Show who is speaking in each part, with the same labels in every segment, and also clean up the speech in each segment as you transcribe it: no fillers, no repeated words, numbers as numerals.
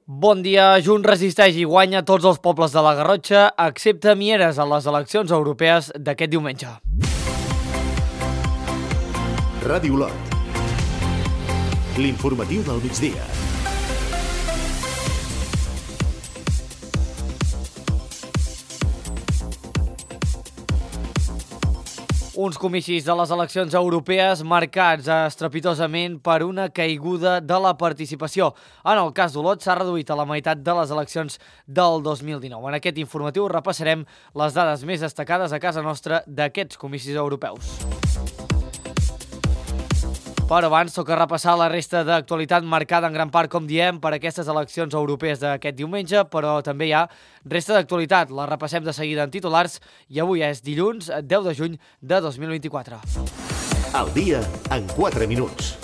Speaker 1: Bon dia. Junts resisteix i guanya tots els pobles de la Garrotxa, excepte Mieres a les eleccions europees d'aquest diumenge.
Speaker 2: Ràdio Lot. L'informatiu del migdia.
Speaker 1: Uns comicis de les eleccions europees marcats estrepitosament per una caiguda de la participació. En el cas d'Olot s'ha reduït a la meitat de les eleccions del 2019. En aquest informatiu repassarem les dades més destacades a casa nostra d'aquests comicis europeus. Però abans toca repassar la resta d'actualitat marcada en gran part, com diem, per aquestes eleccions europees d'aquest diumenge, però també hi ha resta d'actualitat. La repassem de seguida en titulars i avui és dilluns 10 de juny de 2024.
Speaker 2: El dia en 4 minuts.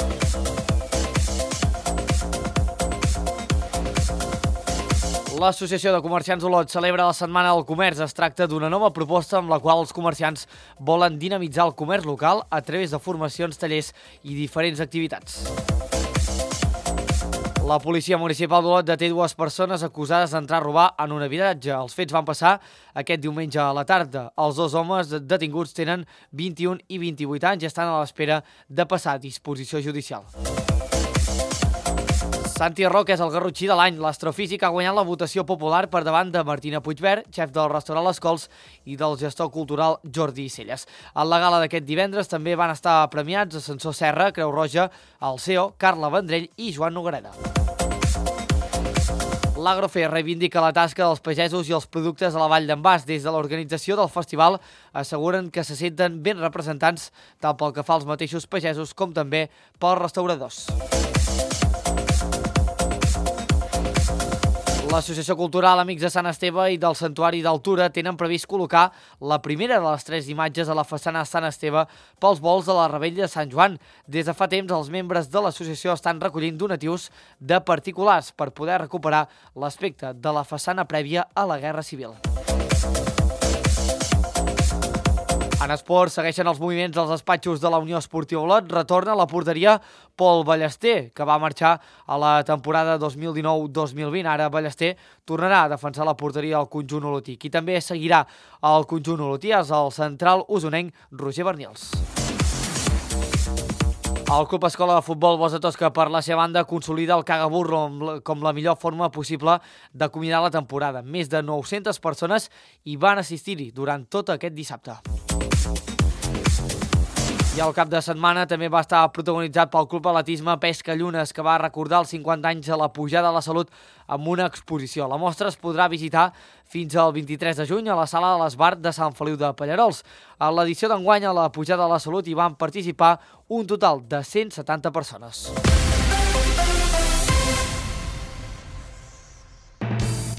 Speaker 1: L'Associació de Comerciants d'Olot celebra la Setmana del Comerç. Es tracta d'una nova proposta amb la qual els comerciants volen dinamitzar el comerç local a través de formacions, tallers i diferents activitats. La policia municipal d'Olot deté 2 persones acusades d'entrar a robar en un habitatge. Els fets van passar aquest diumenge a la tarda. Els 2 homes detinguts tenen 21 i 28 anys i estan a l'espera de passar a disposició judicial. Santi Roca és el garrotxí de l'any. L'astrofísic ha guanyat la votació popular per davant de Martina Puigvert, xef del restaurant Les Cols, i del gestor cultural Jordi Celles. A la gala d'aquest divendres també van estar premiats Ascensor Serra, Creu Roja, el CEO, Carla Vendrell i Joan Noguereda. L'Agrofer reivindica la tasca dels pagesos i els productes a la Vall d'en Bas. Des de l'organització del festival asseguren que se senten ben representants tant pel que fa als mateixos pagesos com també pels restauradors. L'Associació Cultural Amics de Sant Esteve i del Santuari d'Altura tenen previst col·locar la primera de les 3 imatges a la façana Sant Esteve pels volts de la Revetlla de Sant Joan. Des de fa temps, els membres de l'associació estan recollint donatius de particulars per poder recuperar l'aspecte de la façana prèvia a la Guerra Civil. En esport, segueixen els moviments dels despatxos de la Unió Esportiva Olot. Retorna a la porteria Pol Ballester, que va marxar a la temporada 2019-2020. Ara Ballester tornarà a defensar la porteria al conjunt olotí. Qui també seguirà al conjunt olotí és el central usonenc Roger Bernils. El Club Escola de Futbol Bosch de Tosca, per la seva banda, consolida el cagaburro com la millor forma possible d'acomiadar la temporada. Més de 900 persones hi van assistir-hi durant tot aquest dissabte. I el cap de setmana també va estar protagonitzat pel Club Atletisme Pesca Llunes, que va recordar els 50 anys de la pujada a la salut amb una exposició. La mostra es podrà visitar fins al 23 de juny a la sala de l'Esbart de Sant Feliu de Pallerols. A l'edició d'enguany a la pujada a la salut hi van participar un total de 170 persones.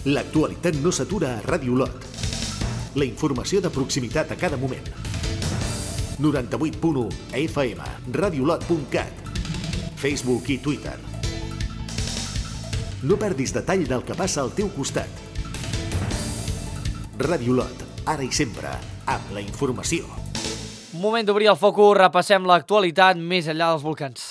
Speaker 2: L'actualitat no s'atura a Ràdio Lot. La informació de proximitat a cada moment. 98.1 FM, radiolot.cat, Facebook i Twitter. No perdis detall del que passa al teu costat. Ràdio Lot, ara i sempre, amb la informació.
Speaker 1: Moment d'obrir el focus, repassem l'actualitat més enllà dels volcans.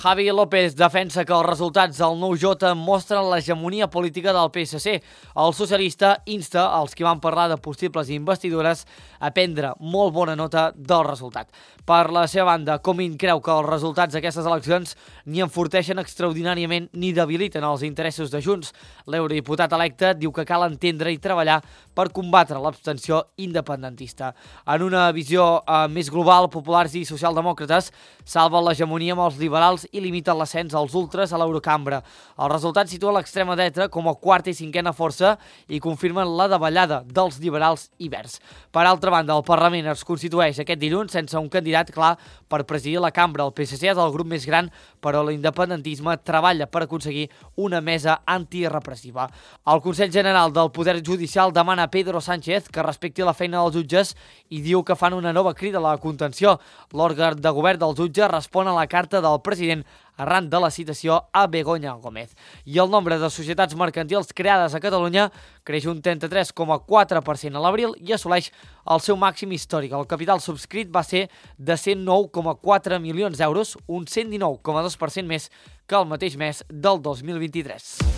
Speaker 1: Javi López defensa que els resultats del 9J mostren l'hegemonia política del PSC. El socialista insta als qui van parlar de possibles investidures a prendre molt bona nota del resultat. Per la seva banda, Comín creu que els resultats d'aquestes eleccions ni enforteixen extraordinàriament ni debiliten els interessos de Junts. L'eurodiputat electe diu que cal entendre i treballar per combatre l'abstenció independentista. En una visió més global, populars i socialdemòcrates salven l'hegemonia amb els liberals i limiten l'ascens als ultres a l'Eurocambra. El resultat situa l'extrema dreta com a quarta i cinquena força i confirmen la davallada dels liberals i verds. Per altra banda, el Parlament es constitueix aquest dilluns sense un candidat clar per presidir la cambra. El PSC és el grup més gran, però l'independentisme treballa per aconseguir una mesa antirepressiva. El Consell General del Poder Judicial demana a Pedro Sánchez que respecti la feina dels jutges i diu que fan una nova crida a la contenció. L'òrgan de govern del jutge respon a la carta del president arran de la citació a Begoña Gómez. I el nombre de societats mercantils creades a Catalunya creix un 33,4% a l'abril i assoleix el seu màxim històric. El capital subscrit va ser de 109,4 milions d'euros, un 119,2% més que el mateix mes del 2023.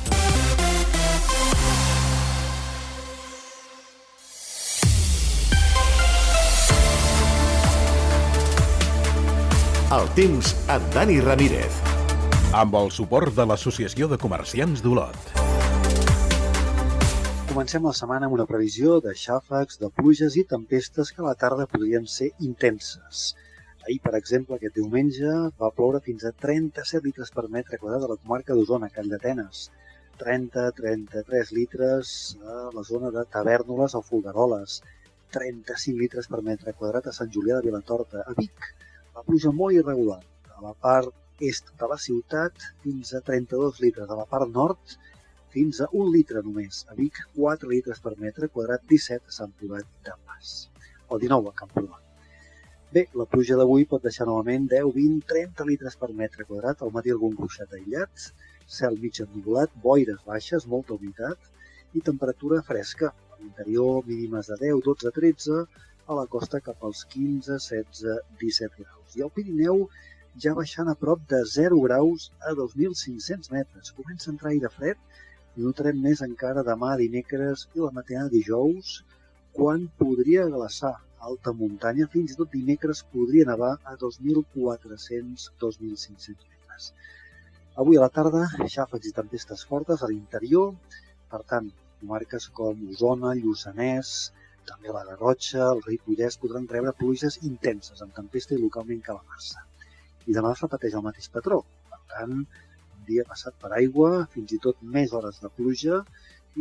Speaker 2: El temps amb Dani Ramírez.
Speaker 3: Amb el suport de l'Associació de Comerciants d'Olot.
Speaker 4: Comencem la setmana amb una previsió de xàfecs, de pluges i tempestes que a la tarda podrien ser intenses. Ahir, per exemple, aquest diumenge va ploure fins a 37 litres per metre quadrat a la comarca d'Osona, Calldetenes. 30-33 litres a la zona de Tavèrnoles o Folgueroles. 35 litres per metre quadrat a Sant Julià de Vilatorta, a Vic. La pluja molt irregular, a la part est de la ciutat fins a 32 litres, a la part nord fins a 1 litre només, a Vic 4 litres per metre quadrat, 17 a Sant Privat de Mas, o 19 a Camprodon. Bé, la pluja d'avui pot deixar novament 10, 20, 30 litres per metre quadrat, al matí algun ruixat aïllat, cel mig ennuvolat, boires baixes, molta humitat i temperatura fresca, a l'interior mínimes de 10, 12, 13, a la costa cap als 15, 16, 17 graus. I al Pirineu ja baixant a prop de 0 graus a 2.500 metres. Comença a entrar aire fred i notarem més encara demà dimecres i la matinada dijous, quan podria glaçar alta muntanya, fins i tot dimecres podria nevar a 2.400, 2.500 metres. Avui a la tarda, xàfecs i tempestes fortes a l'interior, per tant, comarques com Osona, Lluçanès, també la Garrotxa, el Ripollès podran rebre pluges intenses, amb tempesta i localment calamarsa. I demà es repeteix el mateix patró. Per tant, un dia passat per aigua, fins i tot més hores de pluja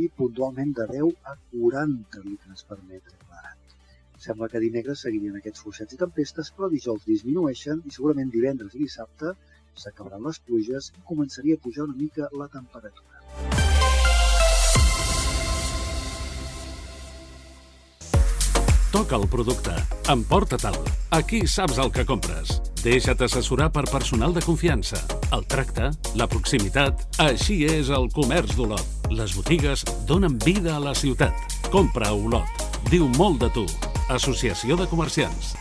Speaker 4: i puntualment de 10 a 40 litres per metre quadrat. Sembla que dimecres seguirien aquests fluixets i tempestes, però dijous disminueixen i segurament divendres i dissabte s'acabaran les pluges i començaria a pujar una mica la temperatura.
Speaker 5: Toca el producte. Emporta-te'l. Aquí saps el que compres. Deixa't assessorar per personal de confiança. El tracte, la proximitat... Així és el comerç d'Olot. Les botigues donen vida a la ciutat. Compra a Olot. Diu molt de tu. Associació de Comerciants.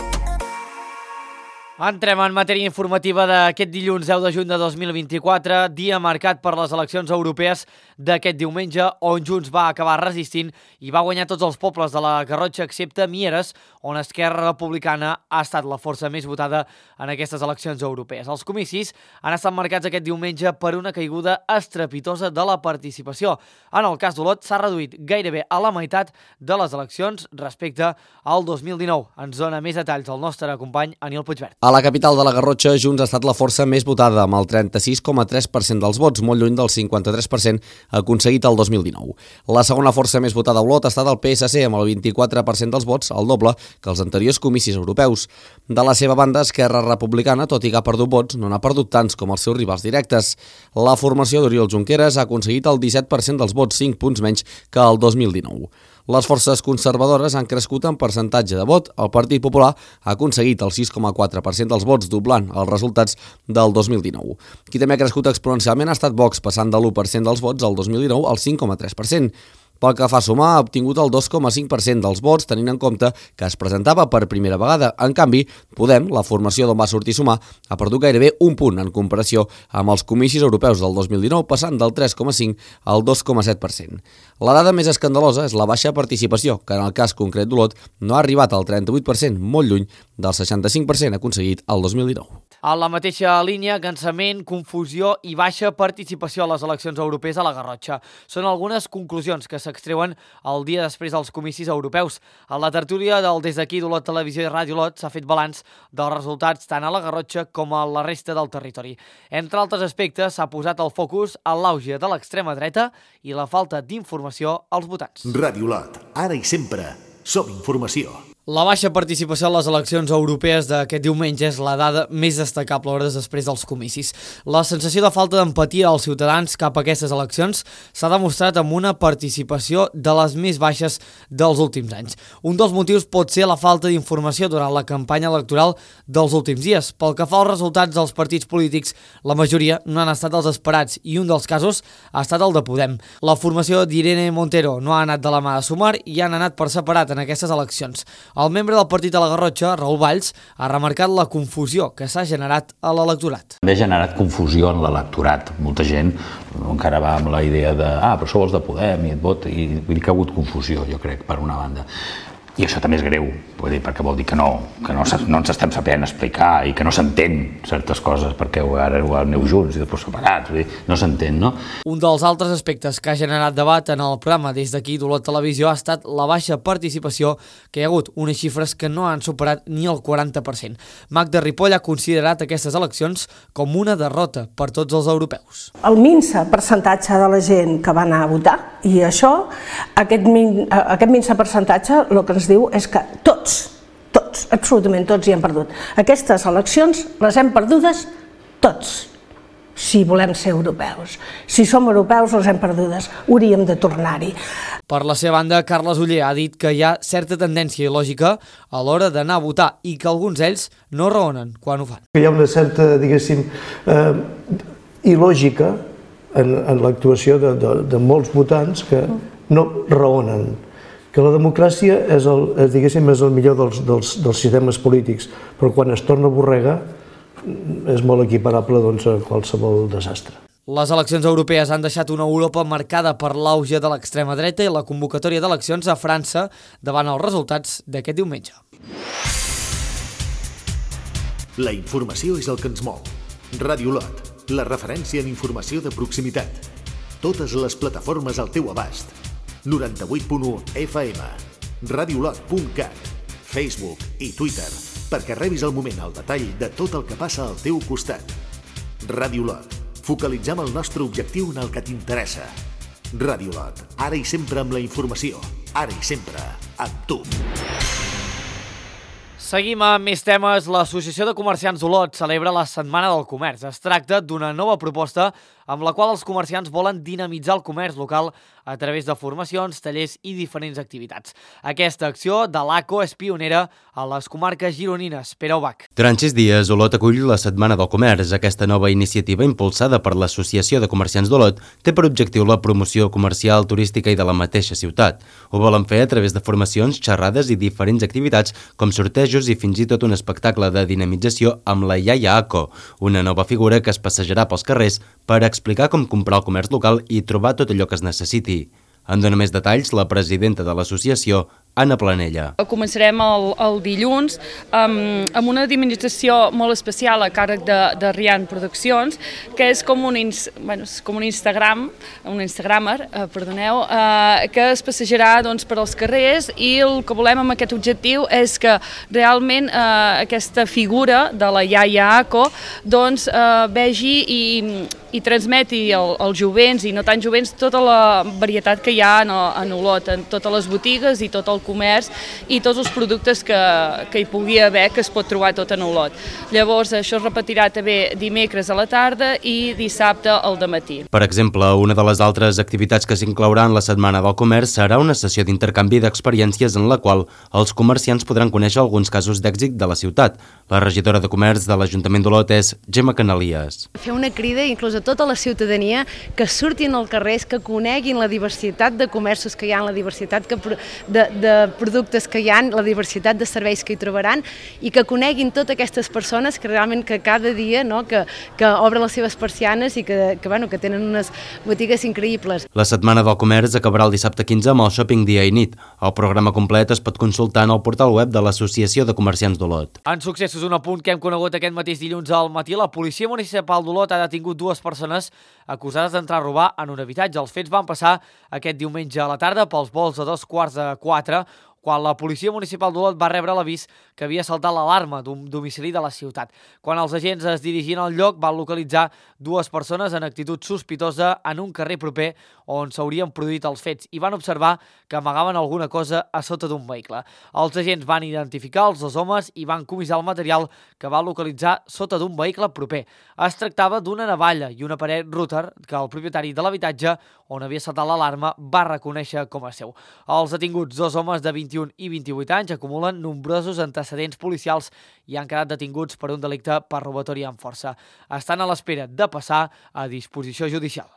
Speaker 1: Entrem en matèria informativa d'aquest dilluns 10 de juny de 2024, dia marcat per les eleccions europees d'aquest diumenge, on Junts va acabar resistint i va guanyar tots els pobles de la Garrotxa, excepte Mieres, on Esquerra Republicana ha estat la força més votada en aquestes eleccions europees. Els comicis han estat marcats aquest diumenge per una caiguda estrepitosa de la participació. En el cas d'Olot s'ha reduït gairebé a la meitat de les eleccions respecte al 2019. Ens dona més detalls el nostre company Aniol Puigvert.
Speaker 6: A la capital de la Garrotxa, Junts ha estat la força més votada, amb el 36,3% dels vots, molt lluny del 53% aconseguit el 2019. La segona força més votada a Olot ha estat el PSC, amb el 24% dels vots, el doble que els anteriors comicis europeus. De la seva banda, Esquerra Republicana, tot i que ha perdut vots, no n'ha perdut tants com els seus rivals directes. La formació d'Oriol Junqueras ha aconseguit el 17% dels vots, 5 punts menys que el 2019. Les forces conservadores han crescut en percentatge de vot. El Partit Popular ha aconseguit el 6,4% dels vots, doblant els resultats del 2019. Qui també ha crescut exponencialment ha estat Vox, passant de l'1% dels vots al 2019 al 5,3%. Pel que fa a sumar, ha obtingut el 2,5% dels vots, tenint en compte que es presentava per primera vegada. En canvi, Podem, la formació d'on va sortir Sumar, ha perdut gairebé un punt en comparació amb els comicis europeus del 2019, passant del 3,5% al 2,7%. La dada més escandalosa és la baixa participació, que en el cas concret d'Olot no ha arribat al 38%, molt lluny del 65% aconseguit el 2019.
Speaker 1: A la mateixa línia, cansament, confusió i baixa participació a les eleccions europees a la Garrotxa. Són algunes conclusions que s'extreuen el dia després dels comicis europeus. A la tertúlia del Des d'aquí d'Olot Televisió i Ràdio Olot s'ha fet balanç dels resultats tant a la Garrotxa com a la resta del territori. Entre altres aspectes, s'ha posat el focus en l'auge de l'extrema dreta i la falta d'informació als votants.
Speaker 2: Ràdio Olot, ara i sempre, som informació.
Speaker 1: La baixa participació a les eleccions europees d'aquest diumenge és la dada més destacable hores després dels comicis. La sensació de falta d'empatia als ciutadans cap a aquestes eleccions s'ha demostrat amb una participació de les més baixes dels últims anys. Un dels motius pot ser la falta d'informació durant la campanya electoral dels últims dies. Pel que fa als resultats dels partits polítics, la majoria no han estat els esperats i un dels casos ha estat el de Podem. La formació d'Irene Montero no ha anat de la mà de Sumar i han anat per separat en aquestes eleccions. El membre del partit de la Garrotxa, Raül Valls, ha remarcat la confusió que s'ha generat a l'electorat.
Speaker 7: També ha generat confusió en l'electorat. Molta gent encara va amb la idea de però sou els de Podem i et vot, i vull dir que ha hagut confusió, jo crec, per una banda. I això també és greu, perquè vol dir que no ens estem sabent explicar i que no s'entén certes coses, perquè ara aneu junts i després separats, no s'entén, no?
Speaker 1: Un dels altres aspectes que ha generat debat en el programa des d'aquí d'Olot Televisió ha estat la baixa participació, que hi ha hagut unes xifres que no han superat ni el 40%. Magda Ripoll ha considerat aquestes eleccions com una derrota per tots els europeus.
Speaker 8: El minso percentatge de la gent que va anar a votar, i això, aquest minso percentatge, el que ens diu és que tots, absolutament tots hi hem perdut. Aquestes eleccions les hem perdudes tots, si volem ser europeus. Si som europeus les hem perdudes, hauríem de tornar-hi.
Speaker 1: Per la seva banda, Carles Oller ha dit que hi ha certa tendència il·lògica a l'hora d'anar a votar i que alguns d'ells no raonen quan ho fan.
Speaker 9: Hi ha una certa, diguéssim, il·lògica en l'actuació de molts votants que no raonen. Que la democràcia és el millor dels sistemes polítics, però quan es torna borrega és molt equiparable a qualsevol desastre.
Speaker 1: Les eleccions europees han deixat una Europa marcada per l'auge de l'extrema dreta i la convocatòria d'eleccions a França davant els resultats d'aquest diumenge.
Speaker 2: La informació és el que ens mou. Ràdio Olot, la referència en informació de proximitat. Totes les plataformes al teu abast. 98.1 FM, radiolot.cat, Facebook i Twitter, perquè rebis al moment el detall de tot el que passa al teu costat. Ràdio Olot, focalitzem el nostre objectiu en el que t'interessa. Ràdio Olot, ara i sempre amb la informació, ara i sempre amb tu.
Speaker 1: Seguim amb més temes. L'Associació de Comerciants d'Olot celebra la Setmana del Comerç. Es tracta d'una nova proposta amb la qual els comerciants volen dinamitzar el comerç local a través de formacions, tallers i diferents activitats. Aquesta acció de l'ACO és pionera a les comarques gironines. Pere Ubach.
Speaker 10: Durant 6 dies, Olot acull la Setmana del Comerç. Aquesta nova iniciativa, impulsada per l'Associació de Comerciants d'Olot, té per objectiu la promoció comercial, turística i de la mateixa ciutat. Ho volen fer a través de formacions, xerrades i diferents activitats, com sortejos i fins i tot un espectacle de dinamització amb la Iaia ACO, una nova figura que es passejarà pels carrers per explicar com comprar el comerç local i trobar tot allò que es necessiti. En dona més detalls la presidenta de l'associació, Anna Planella.
Speaker 11: Començarem el dilluns amb una dinamització molt especial a càrrec de Rian Produccions, que és com un Instagramer, que es passejarà per als carrers, i el que volem amb aquest objectiu és que realment aquesta figura de la Iaia ACO vegi i transmeti als jovents i no tan jovents tota la varietat que hi ha en Olot, en totes les botigues i tot el comerç i tots els productes que hi pugui haver, que es pot trobar tot en Olot. Llavors, això es repetirà també dimecres a la tarda i dissabte al dematí.
Speaker 10: Per exemple, una de les altres activitats que s'inclourà en la Setmana del Comerç serà una sessió d'intercanvi d'experiències en la qual els comerciants podran conèixer alguns casos d'èxit de la ciutat. La regidora de Comerç de l'Ajuntament d'Olot és Gemma Canalies.
Speaker 12: Fer una crida inclús a tota la ciutadania que surtin al carrer, que coneguin la diversitat de comerços que hi ha, la diversitat de productes que hi ha, la diversitat de serveis que hi trobaran, i que coneguin totes aquestes persones que realment que cada dia que obren les seves persianes i que tenen unes botigues increïbles.
Speaker 10: La Setmana del Comerç acabarà el dissabte 15 amb el Shopping dia i nit. El programa complet es pot consultar en el portal web de l'Associació de Comerciants d'Olot.
Speaker 1: En successos, un apunt que hem conegut aquest mateix dilluns al matí, la Policia Municipal d'Olot ha detingut 2 persones acusades d'entrar a robar en un habitatge. Els fets van passar aquest diumenge a la tarda pels volts de 3:15. quan la policia municipal d'Olot va rebre l'avís que havia saltat l'alarma d'un domicili de la ciutat. Quan els agents es dirigien al lloc, van localitzar dues persones en actitud sospitosa en un carrer proper on s'haurien produït els fets i van observar que amagaven alguna cosa a sota d'un vehicle. Els agents van identificar els dos homes i van comissar el material que va localitzar sota d'un vehicle proper. Es tractava d'una navalla i un aparell router que el propietari de l'habitatge on havia saltat l'alarma va reconèixer com a seu. Els detinguts, dos homes de 21 i 28 anys, acumulen nombrosos antecedents policials i han quedat detinguts per un delicte per robatori amb força. Estan a l'espera de passar a disposició judicial.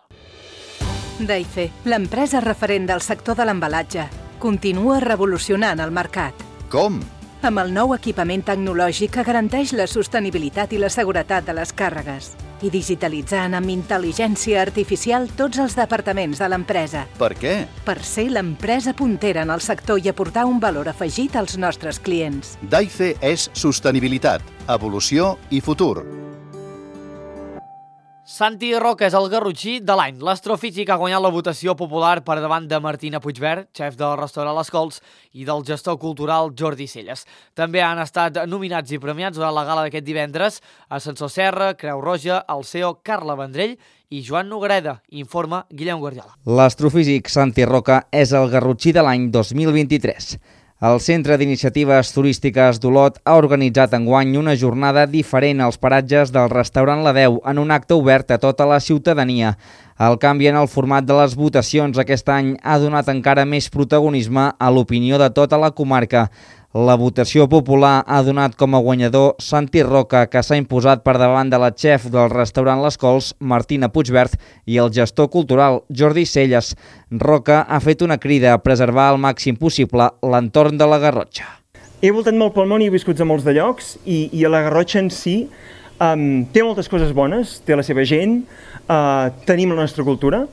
Speaker 13: Daife, l'empresa referent del sector de l'embalatge, continua revolucionant el mercat.
Speaker 14: Com?
Speaker 13: Amb el nou equipament tecnològic que garanteix la sostenibilitat i la seguretat de les càrregues i digitalitzant amb intel·ligència artificial tots els departaments de l'empresa.
Speaker 14: Per què?
Speaker 13: Per ser l'empresa puntera en el sector i aportar un valor afegit als nostres clients.
Speaker 14: Daife és sostenibilitat, evolució i futur.
Speaker 1: Santi Roca és el garrotxí de l'any. L'astrofísic ha guanyat la votació popular per davant de Martina Puigvert, xef del restaurant Les Cols, i del gestor cultural Jordi Celles. També han estat nominats i premiats durant la gala d'aquest divendres Ascensor Serra, Creu Roja, el CEO Carla Vendrell i Joan Noguereda, informa Guillem Guardiola.
Speaker 15: L'astrofísic Santi Roca és el garrotxí de l'any 2023. El Centre d'Iniciatives Turístiques d'Olot ha organitzat enguany una jornada diferent als paratges del restaurant La Deu en un acte obert a tota la ciutadania. El canvi en el format de les votacions aquest any ha donat encara més protagonisme a l'opinió de tota la comarca. La votació popular ha donat com a guanyador Santi Roca, que s'ha imposat per davant de la xef del restaurant Les Cols, Martina Puigvert, i el gestor cultural, Jordi Celles. Roca ha fet una crida a preservar al màxim possible l'entorn de la Garrotxa.
Speaker 16: He voltat molt pel món i he viscut a molts de llocs i la Garrotxa en si té moltes coses bones, té la seva gent, tenim la nostra cultura,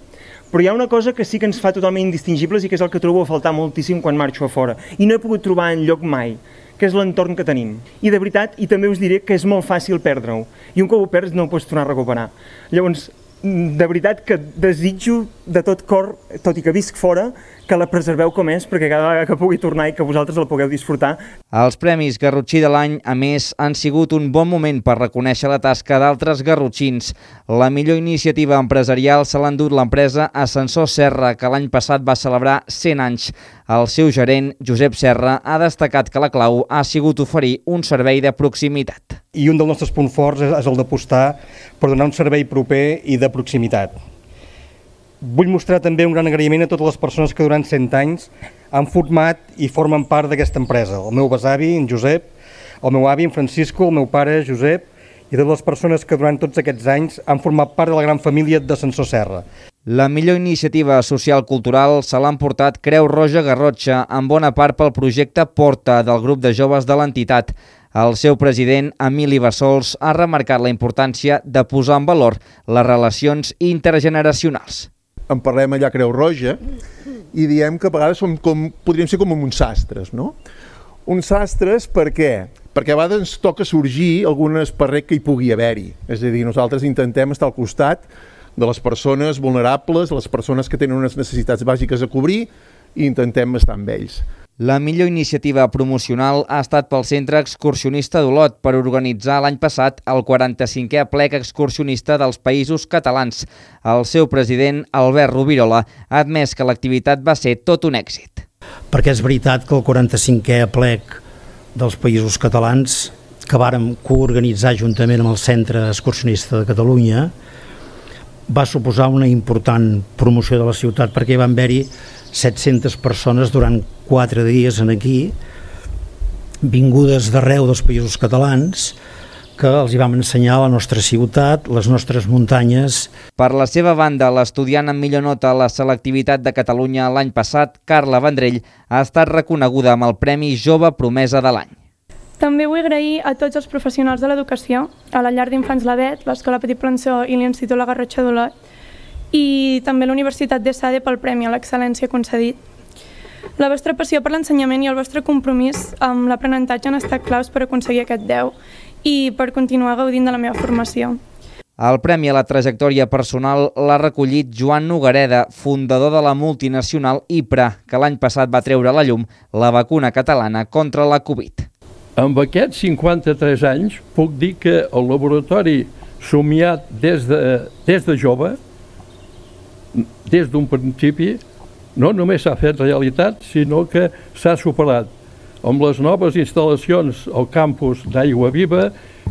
Speaker 16: però hi ha una cosa que sí que ens fa totalment indistingibles i que és el que trobo a faltar moltíssim quan marxo a fora. I no he pogut trobar enlloc mai, que és l'entorn que tenim. I de veritat, i també us diré que és molt fàcil perdre-ho. I un cop ho perds no ho pots tornar a recuperar. Llavors, de veritat que desitjo de tot cor, tot i que visc fora, que la preserveu com és, perquè cada vegada que pugui tornar i que vosaltres la pugueu disfrutar.
Speaker 15: Els Premis Garrotxí de l'any, a més, han sigut un bon moment per reconèixer la tasca d'altres garrotxins. La millor iniciativa empresarial se l'ha endut l'empresa Ascensor Serra, que l'any passat va celebrar 100 anys. El seu gerent, Josep Serra, ha destacat que la clau ha sigut oferir un servei de proximitat.
Speaker 17: I un dels nostres punts forts és el d'apostar per donar un servei proper i de proximitat. Vull mostrar també un gran agraïment a totes les persones que durant 100 anys han format i formen part d'aquesta empresa. El meu besavi, en Josep, el meu avi, en Francisco, el meu pare, Josep, i totes les persones que durant tots aquests anys han format part de la gran família d'Ascensor Serra.
Speaker 15: La millor iniciativa social-cultural se l'ha emportat Creu Roja Garrotxa, en bona part pel projecte Porta del grup de joves de l'entitat. El seu president, Emili Bassols, ha remarcat la importància de posar en valor les relacions intergeneracionals.
Speaker 18: En parlem allà a Creu Roja i diem que a vegades podríem ser com uns sastres, no? Uns sastres per què? Perquè a vegades ens toca sorgir algun esparrec que hi pugui haver-hi. És a dir, nosaltres intentem estar al costat de les persones vulnerables, les persones que tenen unes necessitats bàsiques a cobrir i intentem estar amb ells.
Speaker 15: La millor iniciativa promocional ha estat pel Centre Excursionista d'Olot per organitzar l'any passat el 45è plec excursionista dels Països Catalans. El seu president, Albert Rovirola, ha admès que l'activitat va ser tot un èxit.
Speaker 19: Perquè és veritat que el 45è plec dels Països Catalans, que vàrem coorganitzar juntament amb el Centre Excursionista de Catalunya, va suposar una important promoció de la ciutat perquè van haver-hi 700 persones durant 4 dies aquí, vingudes d'arreu dels Països Catalans, que els hi vam ensenyar la nostra ciutat, les nostres muntanyes.
Speaker 15: Per la seva banda, l'estudiant amb millor nota a la selectivitat de Catalunya l'any passat, Carla Vendrell, ha estat reconeguda amb el Premi Jove Promesa de l'any.
Speaker 20: També vull agrair a tots els professionals de l'educació, a la llar d'infants l'Avet, l'Escola Petit Plançó i l'Institut La Garrotxa d'Olot, i també a la Universitat d'ESADE pel Premi a l'Excel·lència concedit. La vostra passió per l'ensenyament i el vostre compromís amb l'aprenentatge han estat claus per aconseguir aquest 10 i per continuar gaudint de la meva formació.
Speaker 15: El premi a la trajectòria personal l'ha recollit Joan Nogareda, fundador de la multinacional IPRA, que l'any passat va treure a la llum la vacuna catalana contra la Covid.
Speaker 21: Amb aquests 53 anys puc dir que el laboratori somiat des de jove, des d'un principi, no només s'ha fet realitat, sinó que s'ha superat amb les noves instal·lacions al campus d'Aigua Viva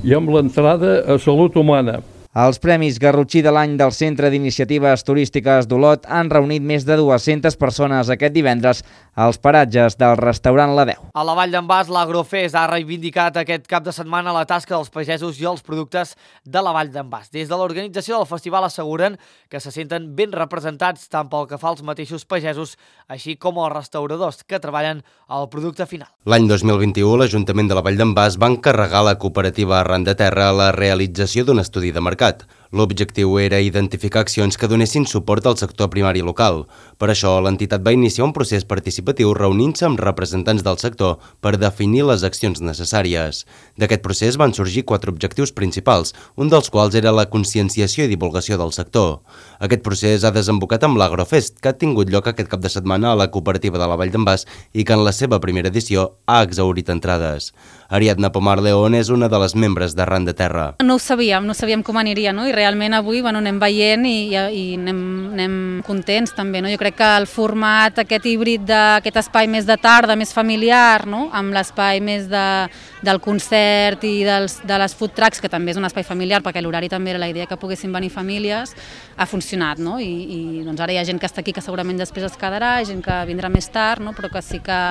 Speaker 21: i amb l'entrada a Salut Humana.
Speaker 15: Els Premis Garrotxí de l'any del Centre d'Iniciatives Turístiques d'Olot han reunit més de 200 persones aquest divendres als paratges del restaurant La Deu.
Speaker 1: A la Vall d'en Bas, l'Agrofest ha reivindicat aquest cap de setmana la tasca dels pagesos i els productes de la Vall d'en Bas. Des de l'organització del festival asseguren que se senten ben representats tant pel que fa als mateixos pagesos, així com els restauradors que treballen al producte final.
Speaker 10: L'any 2021, l'Ajuntament de la Vall d'en Bas va encarregar a la cooperativa Arran de Terra la realització d'un estudi de mercat. L'objectiu era identificar accions que donessin suport al sector primari local. Per això, l'entitat va iniciar un procés participatiu reunint-se amb representants del sector per definir les accions necessàries. D'aquest procés van sorgir 4 objectius principals, un dels quals era la conscienciació i divulgació del sector. Aquest procés ha desembocat amb l'Agrofest, que ha tingut lloc aquest cap de setmana a la cooperativa de la Vall d'en Bas i que en la seva primera edició ha exhaurit entrades. Ariadna Pomar León és una de les membres d'Arran de Terra.
Speaker 22: No ho sabíem com aniria, no? I realment avui anem veient i anem contents també. No? Jo crec que el format aquest híbrid d'aquest espai més de tarda, més familiar, no? Amb l'espai més del concert i de les food trucks, que també és un espai familiar perquè l'horari també era la idea que poguessin venir famílies, ha funcionat. No? I doncs ara hi ha gent que està aquí que segurament després es quedarà, gent que vindrà més tard, no? Però que sí que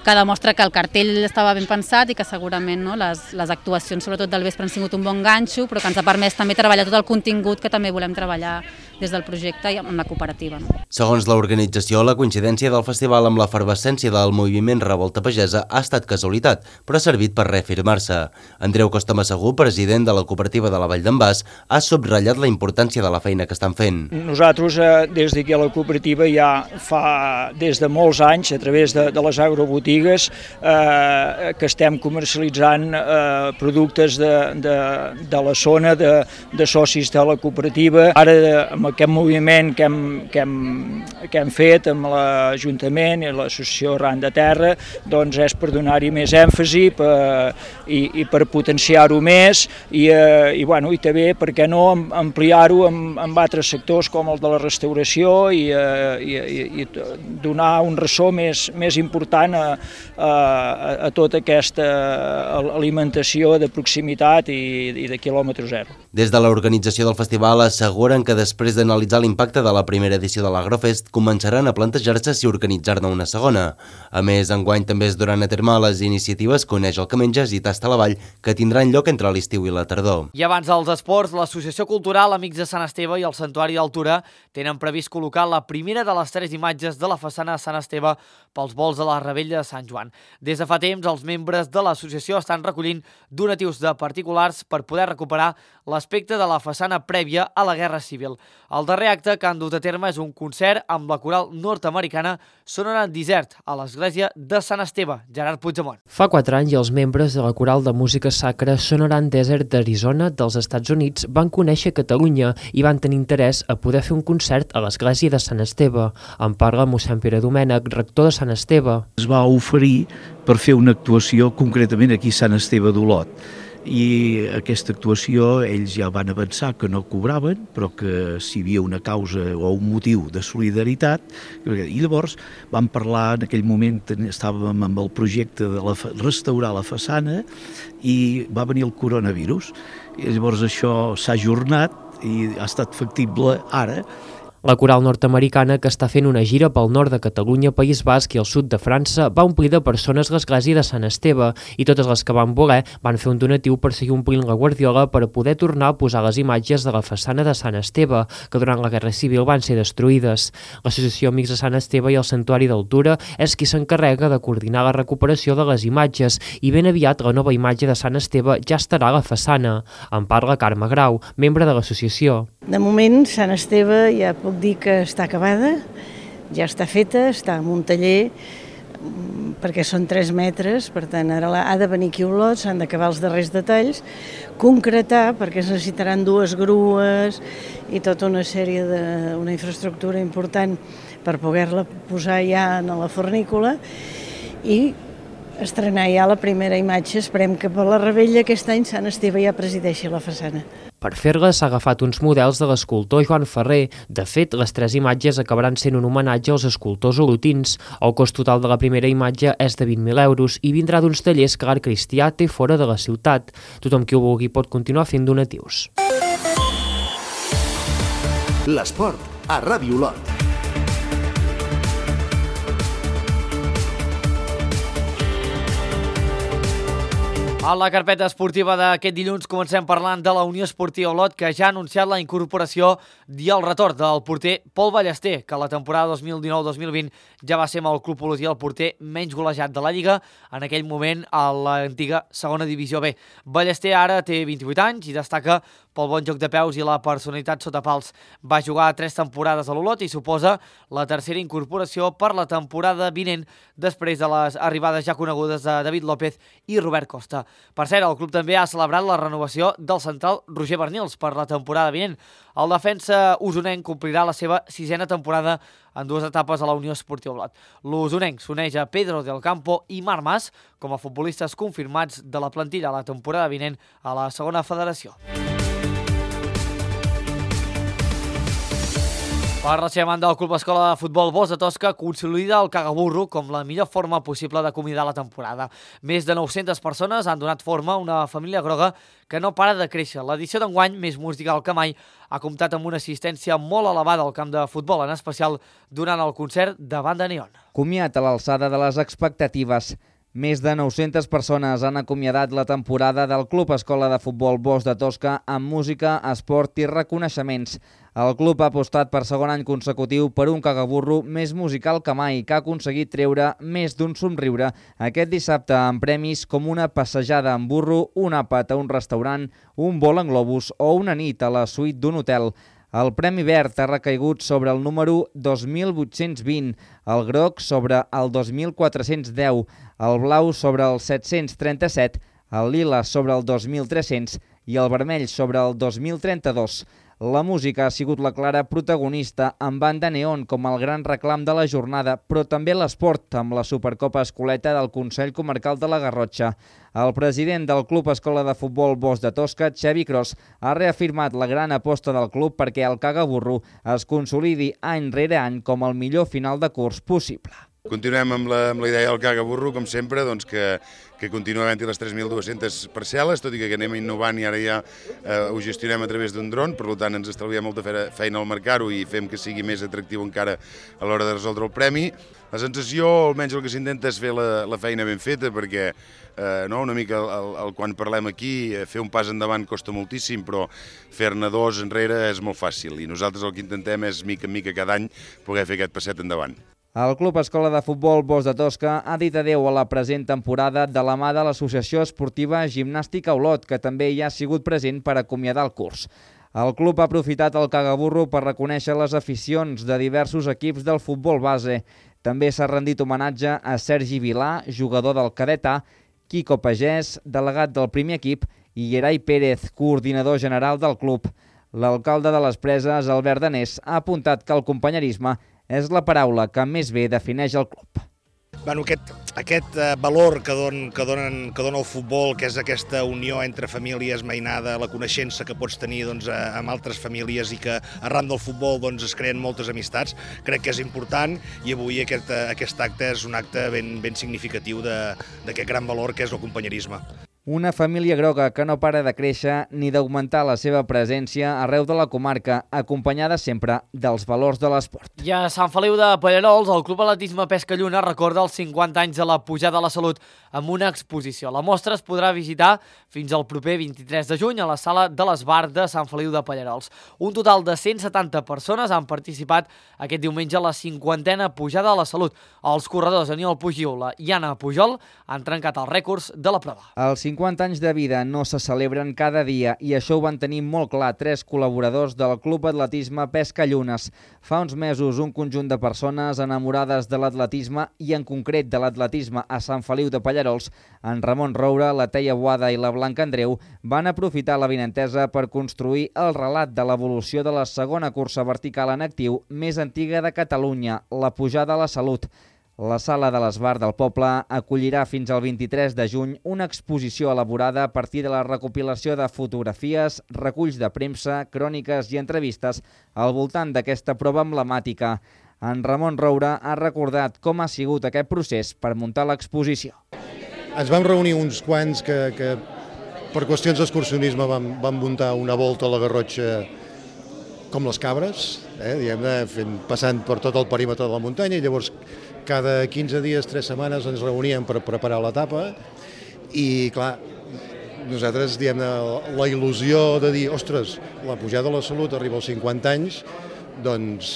Speaker 22: demostra que el cartell estava ben pensat i que segurament les actuacions, sobretot del vespre, han sigut un bon ganxo, però que ens ha permès també treballar tot el contingut que també volem treballar des del projecte i amb la cooperativa. No?
Speaker 10: Segons l'organització, la coincidència del festival amb l'efervescència del moviment Revolta Pagesa ha estat casualitat, però ha servit per reafirmar-se. Andreu Costa Massagú, president de la cooperativa de la Vall d'en Bas, ha subratllat la importància de la feina que estan fent.
Speaker 23: Nosaltres, des d'aquí a la cooperativa, ja fa des de molts anys, a través de les agrobotigues, que estem comercialitzant productes de la zona, de socis de la cooperativa. Ara, amb aquest moviment que hem fet amb l'Ajuntament i l'Associació Arran de Terra, doncs és per donar-hi més èmfasi i per potenciar-ho més i també, per què no, ampliar-ho amb altres sectors com el de la restauració i donar un ressò més important a tota aquesta alimentació de proximitat i de quilòmetre zero.
Speaker 10: Des de l'organització del festival asseguren que després d'analitzar l'impacte de la primera edició de l'Agrofest començaran a plantejar-se si organitzar-ne una segona. A més, enguany també es duran a terme les iniciatives Coneix el que menges i Tasta la Vall, que tindran lloc entre l'estiu i la tardor.
Speaker 1: I abans dels esports, l'Associació Cultural Amics de Sant Esteve i el Santuari d'Altura tenen previst col·locar la primera de les 3 imatges de la façana de Sant Esteve pels vols de la Revetlla de Sant Joan. Des de fa temps, els membres de l'associació estan recollint donatius de particulars per poder recuperar l'aspecte de la façana prèvia a la Guerra Civil. El darrer acte que han dut a terme és un concert amb la coral nord-americana Sonoran Desert a l'església de Sant Esteve. Gerard Puigdemont.
Speaker 24: Fa 4 anys, els membres de la coral de música sacra Sonoran Desert d'Arizona dels Estats Units van conèixer Catalunya i van tenir interès a poder fer un concert a l'església de Sant Esteve. En parla mossèn Pere Domènech, rector de Sant Esteve.
Speaker 25: Es va oferir per fer una actuació concretament aquí a Sant Esteve d'Olot. I aquesta actuació ells ja van avançar que no cobraven, però que si hi havia una causa o un motiu de solidaritat, i llavors vam parlar, en aquell moment estàvem amb el projecte de restaurar la façana i va venir el coronavirus. I llavors això s'ha ajornat i ha estat factible ara.
Speaker 24: La coral nord-americana, que està fent una gira pel nord de Catalunya, País Basc i el sud de França, va omplir de persones l'església de Sant Esteve i totes les que van voler van fer un donatiu per seguir omplint la guardiola per poder tornar a posar les imatges de la façana de Sant Esteve, que durant la Guerra Civil van ser destruïdes. L'Associació Amics de Sant Esteve i el Santuari d'Altura és qui s'encarrega de coordinar la recuperació de les imatges i ben aviat la nova imatge de Sant Esteve ja estarà a la façana. En parla Carme Grau, membre de l'associació.
Speaker 26: De moment, Sant Esteve ja puc dir que està acabada, ja està feta, està en un taller
Speaker 3: perquè són 3 metres, per tant ara ha de venir aquí Olot, s'han d'acabar els darrers detalls, concretar, perquè es necessitaran 2 grues i tota una sèrie una infraestructura important per poder-la posar ja en la fornícula i estrenar ja la primera imatge. Esperem que per la Rebella aquest any Sant Esteve ja presideixi la façana.
Speaker 24: Per fer-la s'ha agafat uns models de l'escultor Joan Ferrer. De fet, les 3 imatges acabaran sent un homenatge als escultors olotins. El cost total de la primera imatge és de 20.000 euros i vindrà d'uns tallers que l'Art Cristià té fora de la ciutat. Tothom qui ho vulgui pot continuar fent donatius.
Speaker 2: L'esport a Ràdio Olot.
Speaker 1: A la carpeta esportiva d'aquest dilluns comencem parlant de la Unió Esportiva Olot, que ja ha anunciat la incorporació i el retorn del porter Pol Ballester, que la temporada 2019-2020 ja va ser amb el club olotí el porter menys golejat de la Lliga, en aquell moment a l'antiga segona divisió B. Ballester ara té 28 anys i destaca pel bon joc de peus i la personalitat sota pals. Va jugar 3 temporades a l'Olot i suposa la tercera incorporació per la temporada vinent, després de les arribades ja conegudes de David López i Robert Costa. Per cert, el club també ha celebrat la renovació del central Roger Bernils per la temporada vinent. El defensa usonenc complirà la seva 6a temporada en 2 etapes a la Unió Esportiva Olot. L'usonenc s'uneix a Pedro del Campo i Marc Mas com a futbolistes confirmats de la plantilla a la temporada vinent a la segona federació. Per la seva banda, el Club Escola de Futbol Bosch de Tosca consolida el cagaburro com la millor forma possible d'acomiadar la temporada. Més de 900 persones han donat forma a una família groga que no para de créixer. L'edició d'enguany, més musical que mai, ha comptat amb una assistència molt elevada al camp de futbol, en especial durant el concert de Banda Neon.
Speaker 15: Comiat a l'alçada de les expectatives. Més de 900 persones han acomiadat la temporada del Club Escola de Futbol Bosch de Tosca amb música, esport i reconeixements. El club ha apostat per segon any consecutiu per un cagaburro més musical que mai, que ha aconseguit treure més d'un somriure aquest dissabte amb premis com una passejada en burro, un àpat a un restaurant, un vol en globus o una nit a la suite d'un hotel. El Premi Verd ha recaigut sobre el número 2820, el groc sobre el 2410, el blau sobre el 737, el lila sobre el 2300 i el vermell sobre el 2032. La música ha sigut la clara protagonista amb Banda Neon com el gran reclam de la jornada, però també l'esport amb la Supercopa Escoleta del Consell Comarcal de la Garrotxa. El president del Club Escola de Futbol Bosch de Tosca, Xavi Cros, ha reafirmat la gran aposta del club perquè el cagaburro es consolidi any rere any com el millor final de curs possible.
Speaker 4: Continuem amb la idea del cagaburro, com sempre, doncs que continua havent-hi les 3.200 parcel·les, tot i que anem innovant i ara ja ho gestionem a través d'un dron, per tant ens estalviem molta feina al marcar-ho i fem que sigui més atractiu encara a l'hora de resoldre el premi. La sensació, almenys el que s'intenta, és fer la feina ben feta, perquè una mica quan parlem aquí, fer un pas endavant costa moltíssim, però fer-ne 2 enrere és molt fàcil i nosaltres el que intentem és, mica en mica, cada any poder fer aquest passet endavant.
Speaker 15: El Club Escola de Futbol Bosch de Tosca ha dit adeu a la present temporada de la mà de l'Associació Esportiva Gimnàstica Olot, que també hi ha sigut present per acomiadar el curs. El club ha aprofitat el cagaburro per reconèixer les aficions de diversos equips del futbol base. També s'ha rendit homenatge a Sergi Vilà, jugador del cadet A, Quico Pagès, delegat del primer equip, i Gerai Pérez, coordinador general del club. L'alcalde de les Preses, Albert Danés, ha apuntat que el companyerisme és la paraula que més bé defineix el club.
Speaker 5: Aquest valor que dona el futbol, que és aquesta unió entre famílies, mainada, la coneixença que pots tenir amb altres famílies i que arran del futbol es creen moltes amistats, crec que és important i avui aquest acte és un acte ben significatiu d'aquest gran valor que és el companyerisme.
Speaker 15: Una família groga que no para de créixer ni d'augmentar la seva presència arreu de la comarca, acompanyada sempre dels valors de l'esport.
Speaker 1: I a Sant Feliu de Pallerols, el Club Atletisme Pesca Lluna recorda els 50 anys de la pujada a la salut amb una exposició. La mostra es podrà visitar fins al proper 23 de juny a la Sala de l'Esbar de Sant Feliu de Pallerols. Un total de 170 persones han participat aquest diumenge a la 50a pujada a la salut. Els corredors Aniol Pugiula i Anna Pujol han trencat els rècords de la prova.
Speaker 15: Els 50 anys de vida no se celebren cada dia i això ho van tenir molt clar 3 col·laboradors del Club Atletisme Pesca Llunes. Fa uns mesos un conjunt de persones enamorades de l'atletisme i en concret de l'atletisme a Sant Feliu de Pallarols, en Ramon Roura, la Teia Boada i la Blanca Andreu van aprofitar l'avinentesa per construir el relat de l'evolució de la segona cursa vertical en actiu més antiga de Catalunya, la Pujada a la Salut. La Sala de l'Esbar del poble acollirà fins al 23 de juny una exposició elaborada a partir de la recopilació de fotografies, reculls de premsa, cròniques i entrevistes al voltant d'aquesta prova emblemàtica. En Ramon Roura ha recordat com ha sigut aquest procés per muntar l'exposició.
Speaker 6: Ens vam reunir uns quants que per qüestions d'excursionisme vam muntar una volta a la Garrotxa com les cabres, diguem-ne, passant per tot el perímetre de la muntanya, i llavors cada 15 dies, 3 setmanes ens reuníem per preparar l'etapa i, clar, nosaltres, diguem-ne, la il·lusió de dir, ostres, la Pujada a la Salut arriba als 50 anys, doncs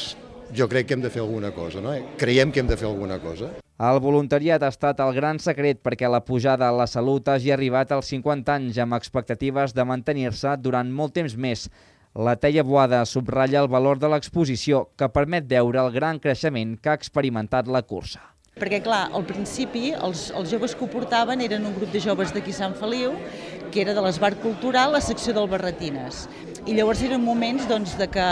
Speaker 6: jo crec que hem de fer alguna cosa, no? Creiem que hem de fer alguna cosa.
Speaker 15: El voluntariat ha estat el gran secret perquè la Pujada a la Salut hagi arribat als 50 anys amb expectatives de mantenir-se durant molt temps més. La Teia Boada subratlla el valor de l'exposició que permet veure el gran creixement que ha experimentat la cursa.
Speaker 7: Perquè, clar, al principi els joves que ho portaven eren un grup de joves d'aquí Sant Feliu, que era de l'Esbar Cultural, la secció del Barretines. I llavors eren moments de que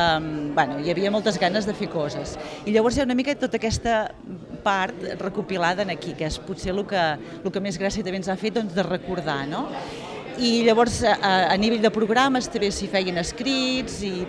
Speaker 7: hi havia moltes ganes de fer coses. I llavors hi ha una mica tota aquesta part recopilada aquí, que és potser el que més gràcia també ens ha fet de recordar, no? I llavors a nivell de programes també s'hi feien escrits i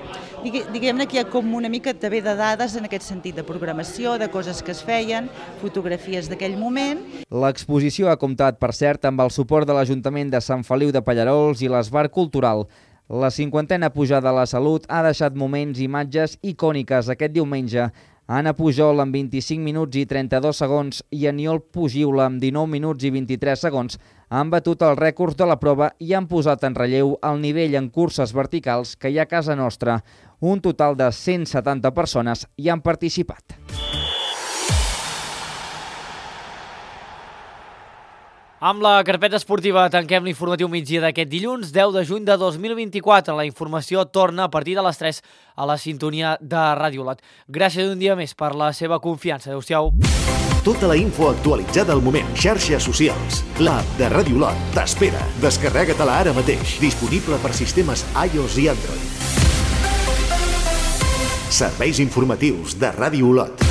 Speaker 7: diguem-ne que hi ha com una mica també de dades en aquest sentit de programació, de coses que es feien, fotografies d'aquell moment.
Speaker 15: L'exposició ha comptat, per cert, amb el suport de l'Ajuntament de Sant Feliu de Pallarols i l'Esbar Cultural. La 50a Pujada a la Salut ha deixat moments i imatges icòniques aquest diumenge. Anna Pujol amb 25 minuts i 32 segons i Aniol Pugiula amb 19 minuts i 23 segons han batut els rècords de la prova i han posat en relleu el nivell en curses verticals que hi ha a casa nostra. Un total de 170 persones hi han participat.
Speaker 1: Amb la carpeta esportiva tanquem l'informatiu migdia d'aquest dilluns, 10 de juny de 2024. La informació torna a partir de les 3 a la sintonia de Ràdio Olot. Gràcies un dia més per la seva confiança. Adéu-siau.
Speaker 2: Tota la info actualitzada al moment. Xarxes socials. L'app de Ràdio Olot t'espera. Descarrega-te-la ara mateix. Disponible per sistemes iOS i Android. Serveis informatius de Ràdio Olot.